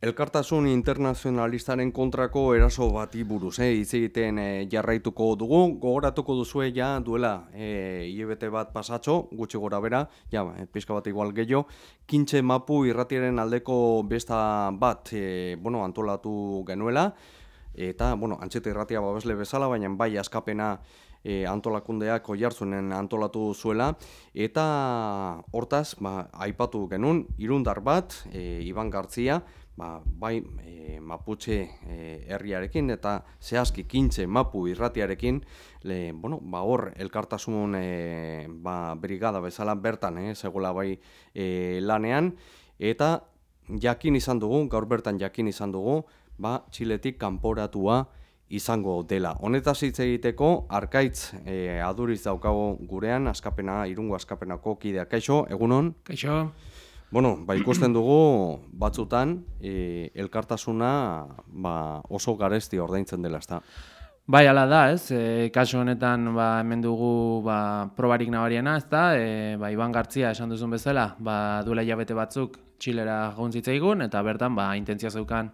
Elkartasun internazionalistaren kontrako eraso bati buruz, hitz egiten jarraituko dugu, gogoratuko duzue ja duela hilabete bat pasatxo, gutxi gora bera, ja, pixka bat igual gehiago, Kintxe Mapu irratiaren aldeko besta bat antolatu genuela, eta, Antxeta irratia babesle bezala, baina bai askapena antolakundeak Oiartzunen antolatu zuela, eta hortaz, aipatu genuen, irundar bat, Iban Gartzia, bai Maputxe herriarekin eta zehazki Kintxe Mapu irratiarekin hor elkartasun brigada bezala bertan zegoela bai lanean, eta gaur bertan jakin izan dugu Txiletik kanporatua izango dela. Honetaz hitz egiteko Arkaitz Aduriz daukago gurean, Irungo askapenako kideak. Kaixo, egunon? Kaixo. Ikusten dugu batzutan elkartasuna oso garesti ordaintzen dela, ezta? Bai, hala da, ez? Kasu honetan hemen dugu probarik nabariena, ezta? Iban Gartzia esan duzun bezala, duela hilabete batzuk Txilera joan zitzaigun, eta bertan intentzia zeukan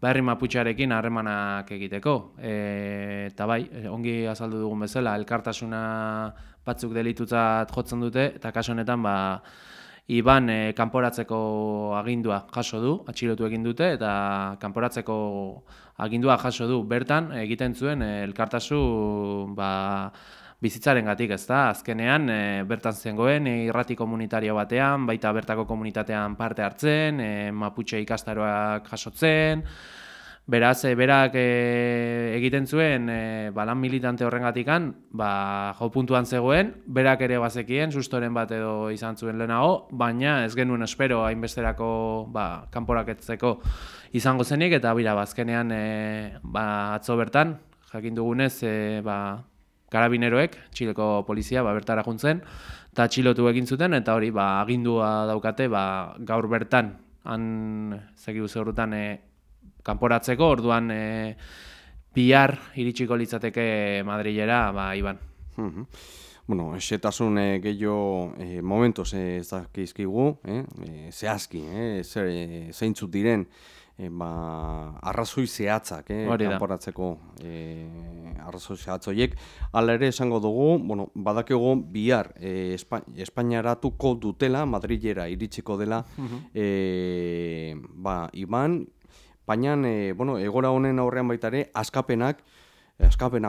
herri Maputxearekin harremanak egiteko. Eta ongi azaldu dugun bezala, elkartasuna batzuk delitutzat jotzen dute, eta kasu honetan Iban kanporatzeko agindua jaso du, atxilotu egin dute, eta kanporatzeko agindua jaso du. Bertan egiten zuen elkartasun bizitzarengatik, ezta? Azkenean bertan zengoen irrati komunitario batean, baita bertako komunitatean parte hartzen, Maputxe ikastaroak jasotzen. Beraz, berak egiten zuen lan militante horrengatikan, jo puntuan zegoen, berak ere bazekien, sustoren bat edo izan zuen lehenago, baina ez genuen espero hainbesterako kanporaketzeko izango zenik, eta azkenean atzo bertan, jakin dugunez, karabineroek, Txileko polizia bertara juntzen, eta atxilotu egin zuten, eta hori agindua daukate gaur bertan, han zegibu zeurutan kanporatzeko, orduan bihar iritsiko litzateke Madrilera, Iban. Xetasun gehiago momentos ez dakizkigu, zehazki, zeintzuk diren arrazoi zehatzak kanporatzeko arrazoi zehatzoiek. Hala ere esango dugu, badakigu bihar Espainiaratuko dutela, Madrilera iritsiko dela Iban, baina egora honen aurrean baitare askapena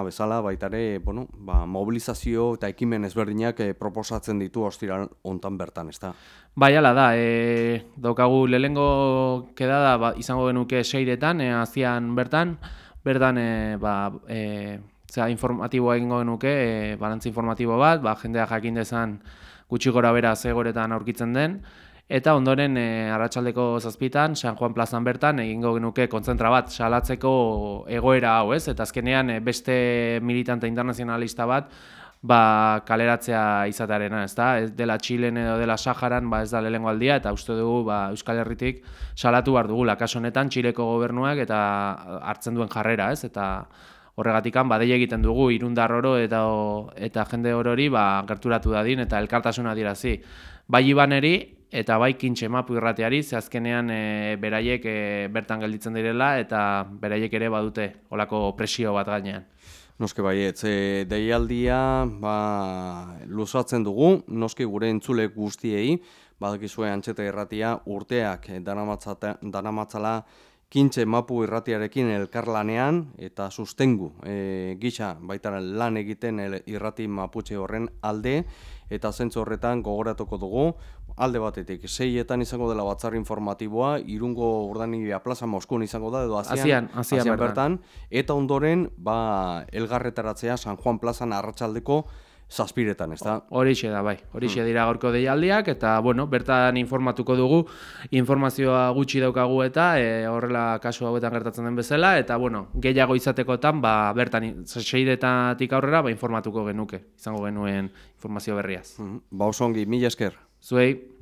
bezala baitare mobilizazio eta ekimen ezberdinak proposatzen ditu ostiral hontan bertan, ezta? Bai, hala da, daukagu lehenengo kedada izango genuke 6etan, azian bertan informatiboa egingo genuke, balantzi informatibo bat, jendea jakin dezan gutxi gora bera zegoretan aurkitzen den, eta ondoren arratsaldeko 7etan, San Juan plazan bertan, egingo genuke kontzentra bat salatzeko egoera hau, ez? Eta azkenean beste militante internazionalista bat kaleratzea izatearena, ez da? Ez dela Txilen edo dela Saharan, ez da lehenengo aldia, eta uste dugu Euskal Herritik salatu behar dugula. Kasu honetan Txileko gobernuak eta hartzen duen jarrera, ez? Eta horregatikan dei egiten dugu irundar oro eta jende orori gerturatu dadin eta elkartasuna adierazi. Bai Ibaneri eta bai Kintxe Mapu irrateari, ze azkenean beraiek bertan gelditzen direla eta beraiek ere badute olako presio bat gainean. Noski baietz, deialdia luzatzen dugu, noski gure entzule guztiei, badakizue Antxeta irratia urteak daramatzala Kintxe Mapu irratiarekin elkarlanean eta sustengu gisa baita lan egiten irrati Maputxe horren alde, eta zentzu horretan gogoratuko dugu, alde batetik, 6etan izango dela batzar informatiboa, Irungo Urdanibia plaza Moskun izango da, edo Azian bertan, eta ondoren elgarretaratzea San Juan plazan arratsaldeko 7etan, ez da? Horixe da, bai. Horixe dira gaurko deialdiak, eta, bertan informatuko dugu, informazioa gutxi daukagu eta horrela kasu hauetan gertatzen den bezala, eta, gehiago izatekotan, bertan 6etatik aurrera, informatuko genuke, izango genuen informazio berriaz. Oso ongi, mila esker. Zuei.